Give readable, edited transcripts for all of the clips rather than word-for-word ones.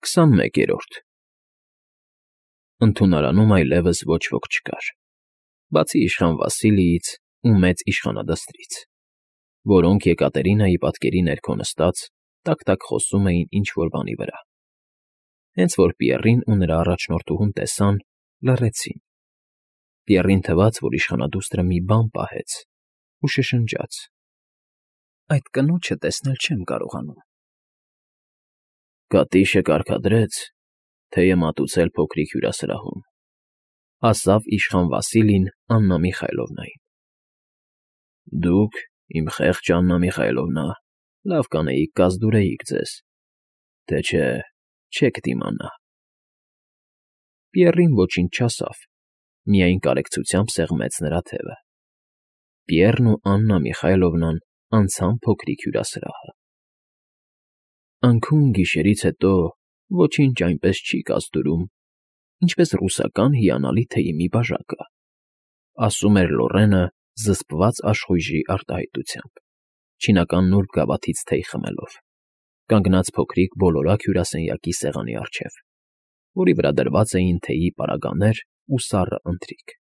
21-րդ Ընդունարանում այլևս ոչ ոք չկար, բացի իշխան Վասիլիից ու մեծ իշխանադստրից, որոնք Եկատերինայի պատկերի ներքո նստած տակ֊տակ խոսում էին ինչ֊որ բանի վրա։ Հենց որ Պիեռին ու նրա առաջնորդուհուն տեսան, լռեցին։ Պիեռին թվաց, որ իշխանադուստրը մի բան պահեց ու շշնջաց. «Այդ կնոջը տեսնել չեմ կարողանում»։ «Կատիշը կարգադրեց, թե մատուցել փոքրիկ հյուրասրահում», ասավ իշխան Վասիլին Աննա Միխայլովնային։ «Դուք, իմ խեղճ Աննա Միխայլովնա, լավ կանեիք կազդուրեիք ձեզ, թե չէ չեք դիմանա»։ Պիեռին ոչինչ չասավ, միայն կարեկցությամբ սեղմեց նրա թևը։ Պիեռն ու Աննա Միխայլովնան անցան փոքրիկ հյուրասրահը։ «Անքուն գիշերից հետո ոչինչ այնպես չի կազդուրում, ինչպես ռուսական հիանալի թեյի մի բաժակը», ասում էր Լոռենը զսպված աշխույժի արտահայտությամբ, չինական նուրբ գավաթից թեյ խմելով, կանգնած փոքրիկ բոլորակ հյուրասենյակի սեղանի առջև, որի վրա դրված էին թեյի պարագաներ ու սառը ընթրիք։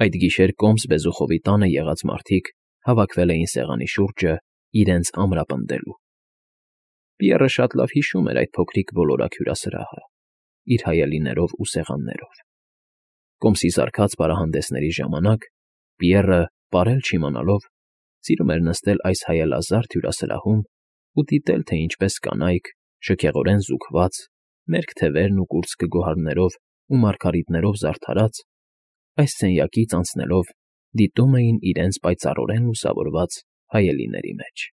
Այդ գիշեր կոմս Բեզուխովի տանը եղած մարդիկ հավաքվել էին սեղանի շուրջը իրենց ամրապնդելու։ Պիեռը շատ լավ հիշում էր այդ փոքրիկ բոլորակ հյուրասրահը, իր հայելիներով ու սեղաններով։ Կոմսի սարքած պարահանդեսների ժամանակ Պիեռը, պարել չիմանալով, սիրում էր նստել այս հայելազարդ հյուրասրահում ու դիտել, թե ինչպես կանայք, շքեղորեն զուգված, մերկ թևերն ու կուրծքը գոհարներով ու մարգարիտներով զարդարած, այս սենյակից անցնելով դիտում էին իրենց պայծառորեն լուսավորված հայելիների մեջ,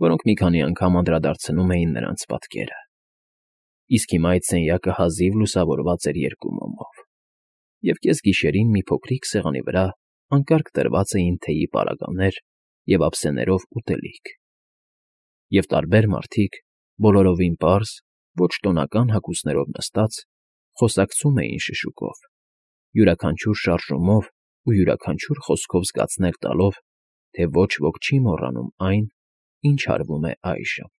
որոնք մի քանի անգամ անդրադարձնում էին նրանց պատկերը։ Իսկ հիմա այդ սենյակը հազիվ լուսավորված էր երկու մոմով, և կեսգիշերին մի փոքրիկ սեղանի վրա անկարգ դրված էին թեյի պարագաներ և ափսեներով ուտելիք։ Եվ տարբեր մարդիկ, բոլորովին պարզ, ոչ տոնական հագուստներով նստած, խոսակցում էին շշուկով, յուրաքանչյուր շարժումով ու յուրաքանչյուր խոսքով զգացնել տալով, թե ոչ ոք չի մոռանում այն, ինչ արվում է այժմ,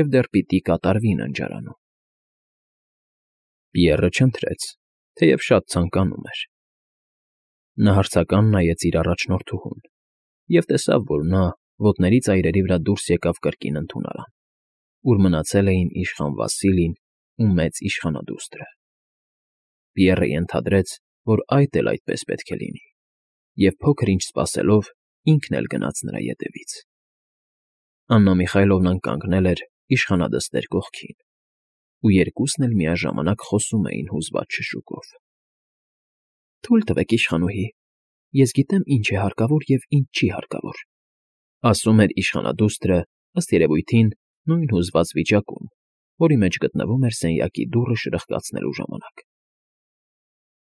և դեռ պիտի կատարվի ննջարանում։ Պիեռը չընթրեց, թեև շատ ցանկանում էր։ Նա հարցական նայեց իր առաջնորդուհուն և տեսավ, որ նա ոտների ծայրերի վրա դուրս եկավ կրկին ընդունարան, ուր մնացել էին իշխան Վասիլին ու մեծ իշխանադուստրը։ Պիեռը ենթադրեց, որ այդ էլ այդպես պետք է լինի, և փոքր-ինչ սպասելով ինքն էլ գնաց նրա ետևից։ Աննա Միխայլովնան կանգնել էր իշխանադստեր կողքին, ու երկուսն էլ միաժամանակ խոսում էին հուզված շշուկով։ «Թույլ տվեք, իշխանուհի, ես գիտեմ ինչ է հարկավոր և ինչ չի հարկավոր», ասում էր իշխանադուստրը, ըստ երևույթին, նույն հուզված վիճակում, որի մեջ գտնվում էր սենյակի դուռը շրխկացնելու ժամանակ։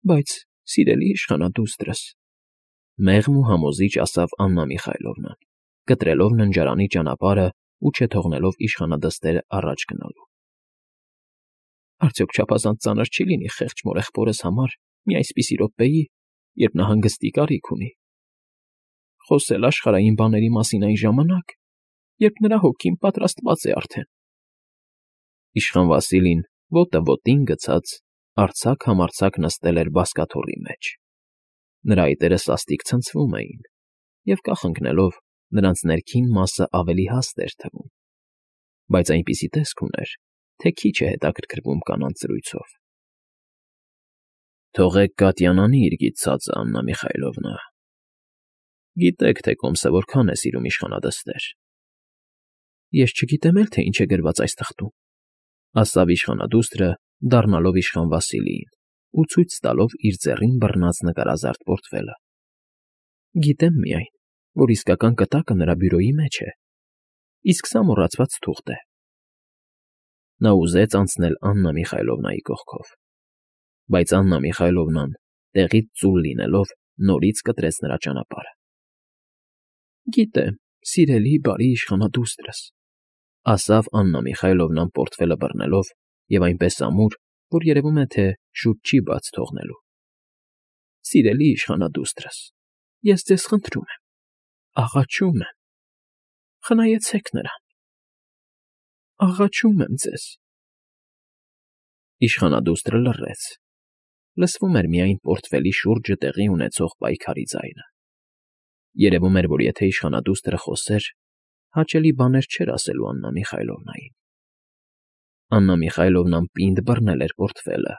«Բայց, սիրելի իշխանադուստրս», մեղմ ու համոզիչ ասավ Աննա Միխայլովնան, կտրելով ննջարանի ճանապարհը ու չթողնելով իշխանադստերը առաջ գնալու։ «Արդյոք չափազանց ծանր չի լինի խեղճ մորեղբորս համար մի այսպիսի րոպեի, երբ նա հանգստի կարիք ունի, խոսել աշխարհային բաների մասին այն ժամանակ, երբ նրա հոգին պատրաստված է արդեն»։ Իշխան Վասիլին, ոտը ոտին գցած, արձակ֊համարձակ նստել էր բազկաթոռի մեջ։ Նրա այտերը սաստիկ ցնցվում էին, և կախ ընկնելով նրանց ներքին մասը ավելի հաստ էր թվում, բայց այնպիսի տեսք ուներ, թե քիչ է հետաքրքրվում կանանց զրույցով։ «Թողեք Կատյան անի իր գիտցածը, Աննա Միխայլովնա. գիտեք, թե կոմսը որքան է սիրում իշխանադստեր»։ «Ես չգիտեմ էլ, թե ինչ է գրված այս թղթում», ասավ իշխանադուստրը, դառնալով իշխան Վասիլիին ու ցույց տալով իր ձեռին բռնած նկարազարդ պորտֆելը։ «Գիտեմ միայն, որ իսկական կտակը նրա բյուրոյի մեջ է, իսկ սա մոռացված թուղթ է»։ Նա ուզեց անցնել Աննա Միխայլովնայի կողքով, բայց Աննա Միխայլովնան, տեղից ծուլ լինելով, նորից կտրեց նրա ճանապարհը։ «Գիտեմ, սիրելի, բարի իշխանադուստրս», ասավ Աննա Միխայլովնան պորտֆելը բռնելով և այնպես ամուր, որ երևում է, թե շուտ չի բաց թողնելու։ «Սիրելի իշխանադուստրս, ես ձեզ խնդրում եմ, աղաչում եմ, խնայեցեք նրան, աղաչում եմ ձեզ»։ Իշխանադուստրը լռեց։ Լսվում էր միայն պորտֆելի շուրջը տեղի ունեցող պայքարի ձայնը։ Երևում էր, որ եթե իշխանադուստրը խոսեր, հաճելի բաներ չէր ասելու Աննա Միխայլովնային։ Աննա Միխայլովնան պինդ բռնել էր պորտֆելը,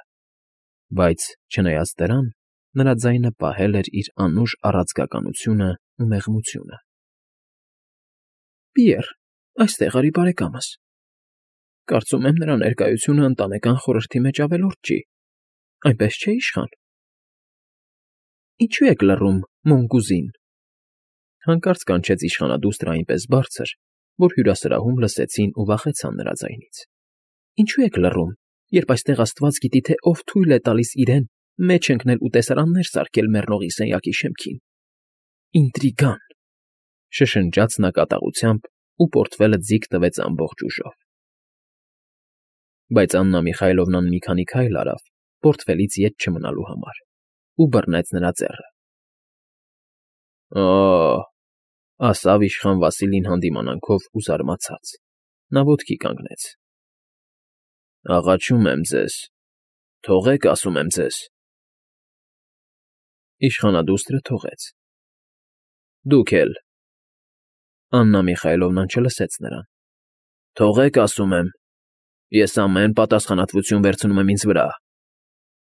բայց, չնայած դրան, նրա ձայնը պահել էր իր անուշ առածկականությունը ու մեղմությունը։ Պիեռ, այստեղ արի բարեկամս։ Կարծում եմ, նրա ներկայությունը ընտանեկան խորհրդի մեջ ավելորդ չի, այնպես չէ, իշխան։ Ինչու եք լռում, Մոնգուզին։ Հանկարծ կանչեց իշխանադուստրը այնպես բարձր, որ հյուրասրահում լսեցին ու վախեցան նրա ձայնից։ Ինչու եք լռում, երբ այստեղ Աստված գիտի, թե ով թույլ է տալիս իրեն մեջ ընկնել ու տեսարաններ սարքել մեռնողի սենյակի շեմքին։ Ինտրիգան, շշնջաց նա կատաղությամբ ու պորտֆելը ձիգ տվեց ամբողջ ուժով։ Բայց Աննա Միխայլովնան մի քանի քայլ արավ, պորտֆելից ետ չմնալու համար, ու բռնեց նրա ձեռը։ Օ՜, ասավ իշխան Վասիլին հանդիմանանքով ու զարմացած։ Նա ոտքի կանգնեց։ Աղաչում եմ ձեզ, թողեք, ասում եմ ձեզ։ Իշխանադուստրը թողեց։ Դուք էլ։ Աննա Միխայլովնան չլսեց նրան։ Թողեք, ասում եմ։ Ես ամեն պատասխանատվություն վերցնում եմ ինձ վրա։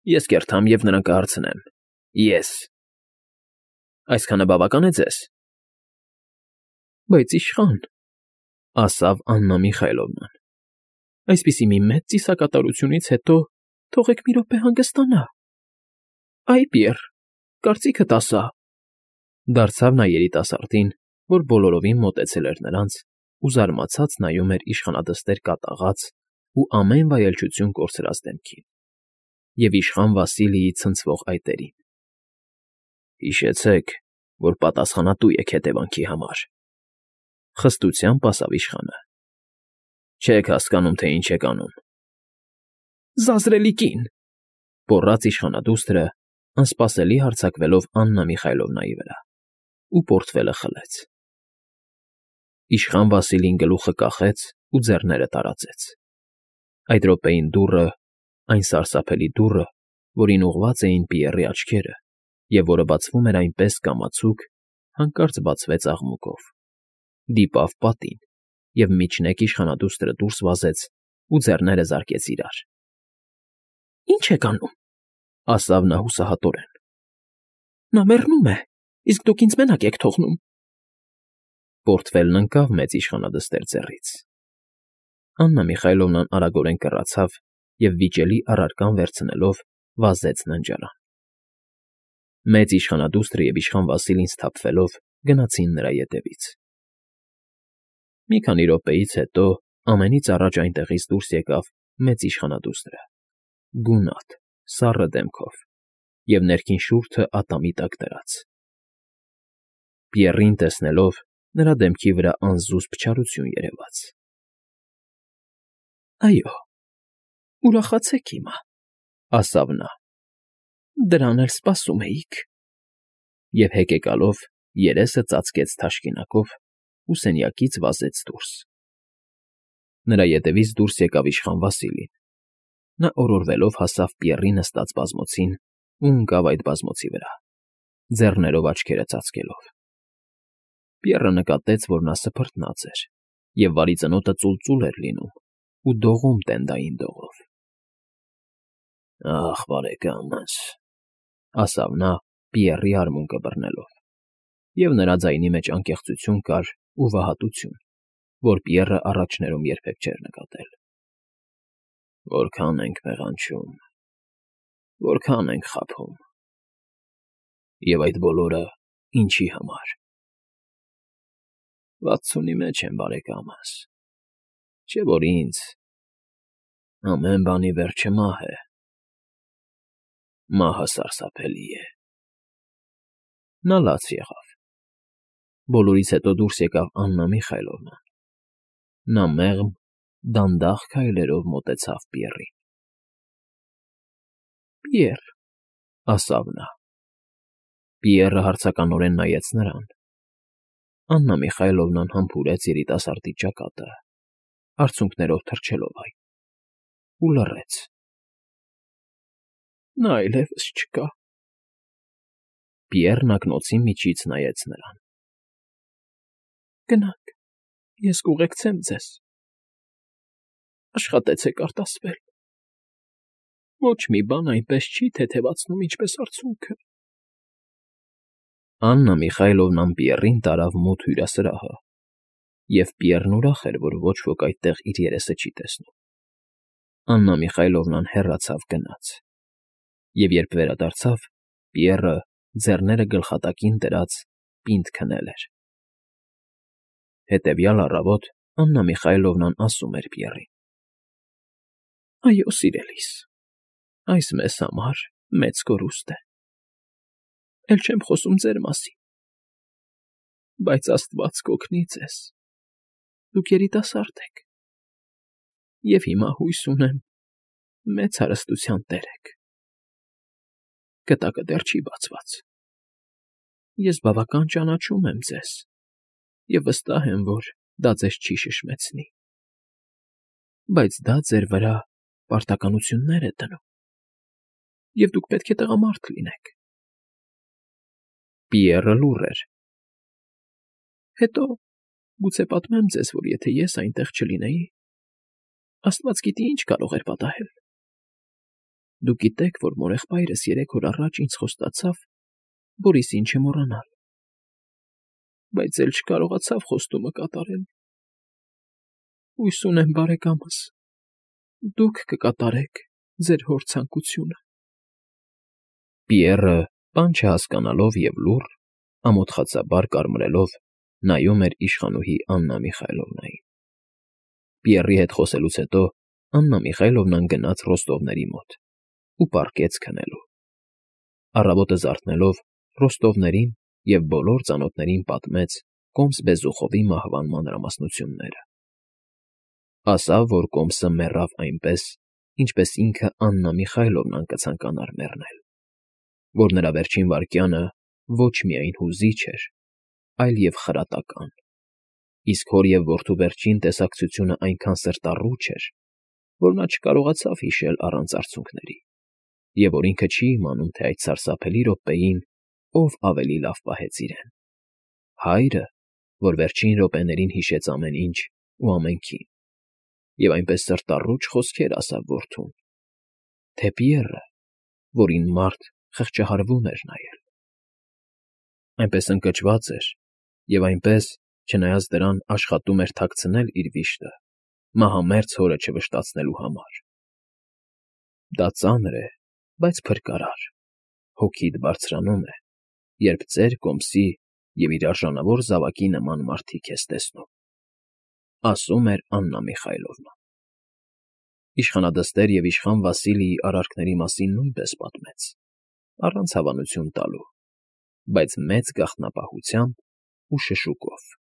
Ես կերթամ և նրան կհարցնեմ։ Ես։ Այսքանը բավական է ձեզ։ Բայց իշխան, ասավ Աննա Միխայլովնան, այսպիսի մի մեծ ծիսակատարությունից հետո թողեք մի րոպե հանգստանա։ Այ Պիեռ, կարծիքդ ասա։ Դարձավ նա երիտասարդին, որ բոլորովին մոտեցել էր նրանց ու զարմացած նայում էր իշխանադստեր կատաղած ու ամեն վայելչություն կորցրած դեմքին և իշխան Վասիլիի ցնցվող այտերին։ Հիշեցեք, որ պատասխանատու եք հետևանքի համար, խստությամբ ասավ իշխանը։ Չեք հասկանում, թե ինչ եք անում։ Զազրելի կին, գոռաց իշխանադուստրը, անսպասելի հարձակվելով Աննա Միխայլովնայի վրա, ու պորտֆելը խլեց։ Իշխան Վասիլին գլուխը կախեց ու ձեռները տարածեց։ Այդ րոպեին դուռը, այն սարսափելի դուռը, որին ուղղված էին Պիեռի աչքերը, և որը բացվում էր այնպես կամացուկ, հանկարծ բացվեց աղմուկով, դիպավ պատին, և միջնեկ իշխանադուստրը դուրս վազեց ու ձեռները զարկեց իրար։ Ի՞նչ եք անում, ասավ նա հուսահատորեն։ Նա մեռնում է, իսկ դուք ինձ մենակ եք թողնում։ Պորտֆելն ընկավ մեծ իշխանադստեր ձեռից։ Աննա Միխայլովնան արագորեն կռացավ և վիճելի առարկան վերցնելով վազեց ննջարան։ Մեծ իշխանադուստրը և իշխան Վասիլին սթափվելով գնացին նրա ետևից։ Մի քանի րոպեից հետո ամենից առաջ այնտեղից դուրս եկավ մեծ իշխանադուստրը, գունատ, սառը դեմքով և ներքին շուրթը ատամի տակ դրած։ Պիեռին տեսնելով, նրա դեմքի վրա անզուսպ չարություն երևաց։ Այո, ուրախացեք հիմա, ասավ նա։ Դրան էլ սպասում էիք։ Եվ հեկեկալով երեսը ծածկեց թաշկինակով ու սենյակից վազեց դուրս։ Նրա ետևից դուրս եկավ իշխան Վասիլին։ Նա օրորվելով հասավ Պիեռի նստած բազմոցին ու ընկավ այդ բազմոցի վրա, ձեռներով աչքերը ծածկելով։ Պիեռը նկատեց, որ նա սփռտնած էր, և վարի ծնոտը ծուլծուլ էր լինում ու դողում տենդային դողով։ Ախ, բարեկամս, ասավ նա Պիեռի արմունկը բռնելով, և նրա ձայնի մեջ անկեղծություն կար ու վհատություն, որ Պիեռը առաջներում երբեք չէր նկատել։ Որքան ենք մեղանչում, որքան ենք խաբում, և այդ բոլորը ինչի համար։ 60-ի մեջ եմ, բարեկամս, չէ՞ որ ինձ ամեն բանի վերջը մահ է։ Մահը սարսափելի է։ Նա լաց եղավ։ Բոլորից հետո դուրս եկավ Աննա Միխայլովնան։ Նա մեղմ, դանդաղ քայլերով մոտեցավ Պիեռին։ Պիեռ, ասավ նա։ Պիեռը հարցականորեն նայեց նրան։ Աննա Միխայլովնան համբուրեց երիտասարդի ճակատը, արցունքներով թռչելով այն, ու լռեց։ Նա այլևս չկա։ Պիեռն ակնոցի միջից նայեց նրան։ Գնանք, ես կուղեկցեմ ձեզ։ Աշխատեցեք արտասվել։ Ոչ մի բան այնպես չի թեթևացնում, ինչպես արցունքը։ Աննա Միխայլովնան Պիեռին տարավ մութ հյուրասրահը, և Պիեռն ուրախ էր, որ ոչ ոք այդտեղ իր երեսը չի տեսնում։ Աննա Միխայլովնան հեռացավ գնաց, և երբ վերադարձավ, Պիեռը, ձեռները գլխատակին դրած, պինդ քնել էր։ Հետևյալ առավոտ Աննա Միխայլովնան ասում էր Պիեռին. Այո, սիրելիս, այս մեզ համար մեծ կորուստ է։ Էլ չեմ խոսում ձեր մասին, բայց Աստված կօգնի ձեզ, դուք երիտասարդ եք, և հիմա հույս ունեմ մեծ հարստության տեր եք։ Գտակը դեռ չի բացված։ Ես բավական ճանաչում եմ ձեզ և վստահ եմ, որ դա ձեզ չի շշմեցնի, բայց դա ձեր վրա պարտականություններ է դնում, և դուք պետք է տղամարդ լինեք։ Պիեռը լուռ էր։ Հետո գուցե պատմեմ ձեզ, որ եթե ես այնտեղ չլինեի, Աստված գիտի ինչ կարող էր պատահել։ Դուք գիտեք, որ մորեղբայրս 3 օր առաջ ինձ խոստացավ Բորիսին չմոռանալ, բայց էլ չկարողացավ խոստումը կատարել։ Հույս ունեմ, բարեկամս, դուք կկատարեք ձեր հոր ցանկությունը։ Պիեռը, բան չհասկանալով և լուռ, ամոթխածաբար կարմրելով, նայում էր իշխանուհի Աննա Միխայլովնային։ Պիեռի հետ խոսելուց հետո Աննա Միխայլովնան գնաց Ռոստովների մոտ ու պառկեց քնելու։ Առավոտը զարթնելով, Ռոստովներին և բոլոր ծանոթներին պատմեց Կոմս Բեզուխովի մահվան մանրամասնությունները։ Ասավ, որ Կոմսը մեռավ այնպես, ինչպես ինքը Աննա Միխայլովնան կցանկանար մեռնել, որ նրա վերջին վայրկյանը ոչ միայն հուզիչ էր, այլ և խրատական, իսկ հոր և որդու վերջին տեսակցությունը այնքան սրտառուչ էր, որ նա չկարողացավ հիշել առանց արցունքների, և որ ինքը չի իմանում, թե այդ սարսափելի րոպեին ով ավելի լավ պահեց իրեն՝ հայրը, որ վերջին րոպեներին հիշեց ամեն ինչ ու ամենքին, և այնպես սրտառուչ խոսքեր ասավ որդուն, թե Պիեռը, որին մարդ խղճահարվում էր նայել։ Այնպես ընկճված էր և այնպես, չնայած դրան, աշխատում էր թաքցնել իր վիշտը, մահամերձ հորը չվշտացնելու համար։ Դա ծանր է, բայց փրկարար, հոգիդ բարձրանում է, երբ ծեր Կոմսի և իր արժանավոր զավակի նման մարդիկ ես տեսնում, ասում էր Աննա Միխայլովնան։ Իշխանադստեր և իշխան Վասիլիի արարքների մասին նույնպես պատմեց, առանց հավանություն տալու, բայց մեծ գաղտնապահությամբ ու շշուկով։